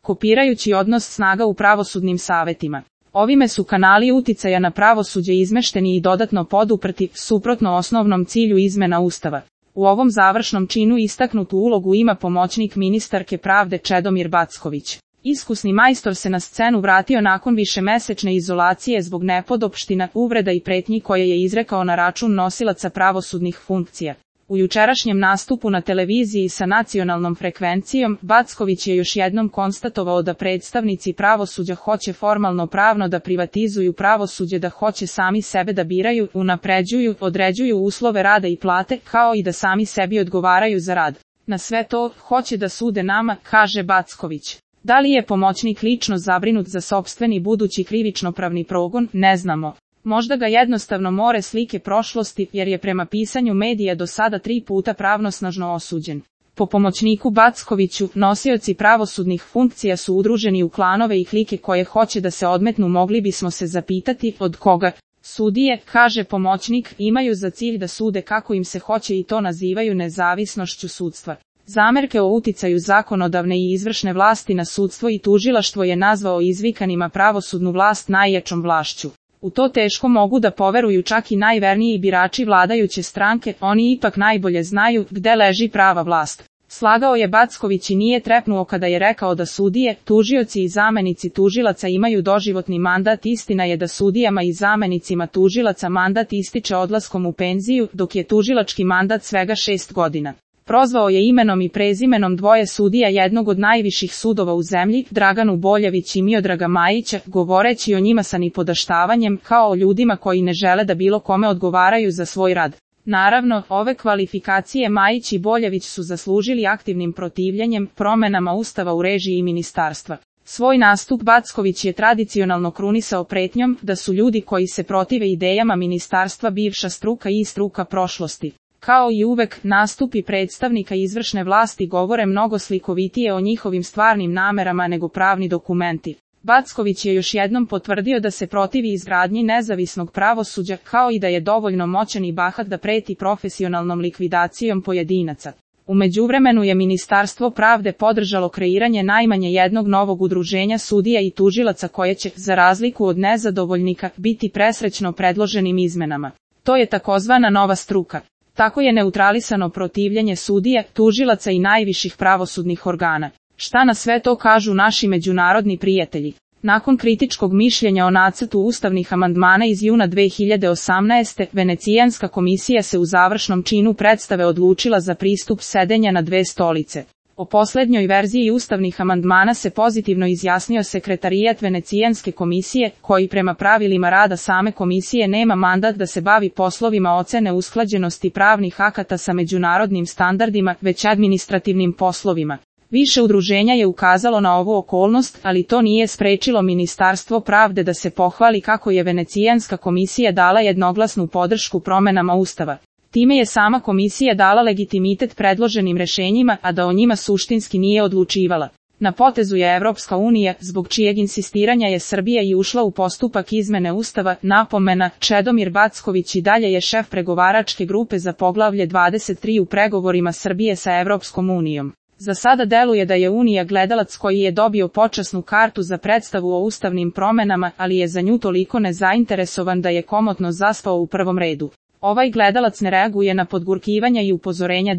kopirajući odnos snaga u pravosudnim savetima. Ovime su kanali uticaja na pravosuđe izmešteni i dodatno poduprti, suprotno osnovnom cilju izmena Ustava. U ovom završnom činu istaknutu ulogu ima pomoćnik ministarke pravde Čedomir Backović. Iskusni majstor se na scenu vratio nakon višemesečne izolacije zbog nepodopština, uvreda i pretnji koje je izrekao na račun nosilaca pravosudnih funkcija. U jučerašnjem nastupu na televiziji sa nacionalnom frekvencijom, Backović je još jednom konstatovao da predstavnici pravosuđa hoće formalno pravno da privatizuju pravosuđe, da hoće sami sebe da biraju, unapređuju, određuju uslove rada i plate, kao i da sami sebi odgovaraju za rad. Na sve to, hoće da sude nama, kaže Backović. Da li je pomoćnik lično zabrinut za sopstveni budući krivično-pravni progon, ne znamo. Možda ga jednostavno more slike prošlosti, jer je prema pisanju medija do sada 3 puta pravnosnažno osuđen. Po pomoćniku Backoviću, nosioci pravosudnih funkcija su udruženi u klanove i klike koje hoće da se odmetnu. Mogli bismo se zapitati, od koga? Sudije, kaže pomoćnik, imaju za cilj da sude kako im se hoće i to nazivaju nezavisnošću sudstva. Zamerke o uticaju zakonodavne i izvršne vlasti na sudstvo i tužilaštvo je nazvao izvikanima pravosudnu vlast najjačom vlašću. U to teško mogu da poveruju čak i najverniji birači vladajuće stranke, oni ipak najbolje znaju gde leži prava vlast. Slagao je Backović i nije trepnuo kada je rekao da sudije, tužioci i zamenici tužilaca imaju doživotni mandat. Istina je da sudijama i zamenicima tužilaca mandat ističe odlaskom u penziju, dok je tužilački mandat svega 6 godina. Prozvao je imenom i prezimenom dvoje sudija jednog od najviših sudova u zemlji, Draganu Boljević i Miodraga Majića, govoreći o njima sa nipodaštavanjem, kao o ljudima koji ne žele da bilo kome odgovaraju za svoj rad. Naravno, ove kvalifikacije Majić i Boljević su zaslužili aktivnim protivljenjem, promenama Ustava u režiji ministarstva. Svoj nastup Backović je tradicionalno krunisao pretnjom da su ljudi koji se protive idejama ministarstva bivša struka i struka prošlosti. Kao i uvek, nastupi predstavnika izvršne vlasti govore mnogo slikovitije o njihovim stvarnim namerama nego pravni dokumenti. Backović je još jednom potvrdio da se protivi izgradnji nezavisnog pravosuđa, kao i da je dovoljno moćan i bahat da preti profesionalnom likvidacijom pojedinaca. U međuvremenu je Ministarstvo pravde podržalo kreiranje najmanje jednog novog udruženja sudija i tužilaca koje će, za razliku od nezadovoljnika, biti presrećno predloženim izmenama. To je takozvana nova struka. Tako je neutralisano protivljenje sudija, tužilaca i najviših pravosudnih organa. Šta na sve to kažu naši međunarodni prijatelji? Nakon kritičkog mišljenja o nacrtu ustavnih amandmana iz juna 2018. Venecijanska komisija se u završnom činu predstave odlučila za pristup sedenja na 2 stolice. O poslednjoj verziji ustavnih amandmana se pozitivno izjasnio sekretarijat Venecijanske komisije, koji prema pravilima rada same komisije nema mandat da se bavi poslovima ocene usklađenosti pravnih akata sa međunarodnim standardima, već administrativnim poslovima. Više udruženja je ukazalo na ovu okolnost, ali to nije sprečilo Ministarstvo pravde da se pohvali kako je Venecijanska komisija dala jednoglasnu podršku promenama Ustava. Time je sama komisija dala legitimitet predloženim rešenjima, a da o njima suštinski nije odlučivala. Na potezu je Evropska unija, zbog čijeg insistiranja je Srbija i ušla u postupak izmene Ustava. Napomena, Čedomir Backović i dalje je šef pregovaračke grupe za poglavlje 23 u pregovorima Srbije sa Evropskom unijom. Za sada deluje da je Unija gledalac koji je dobio počasnu kartu za predstavu o ustavnim promenama, ali je za nju toliko nezainteresovan da je komotno zaspao u prvom redu. Ovaj gledalac ne reaguje na podgurkivanja i upozorenja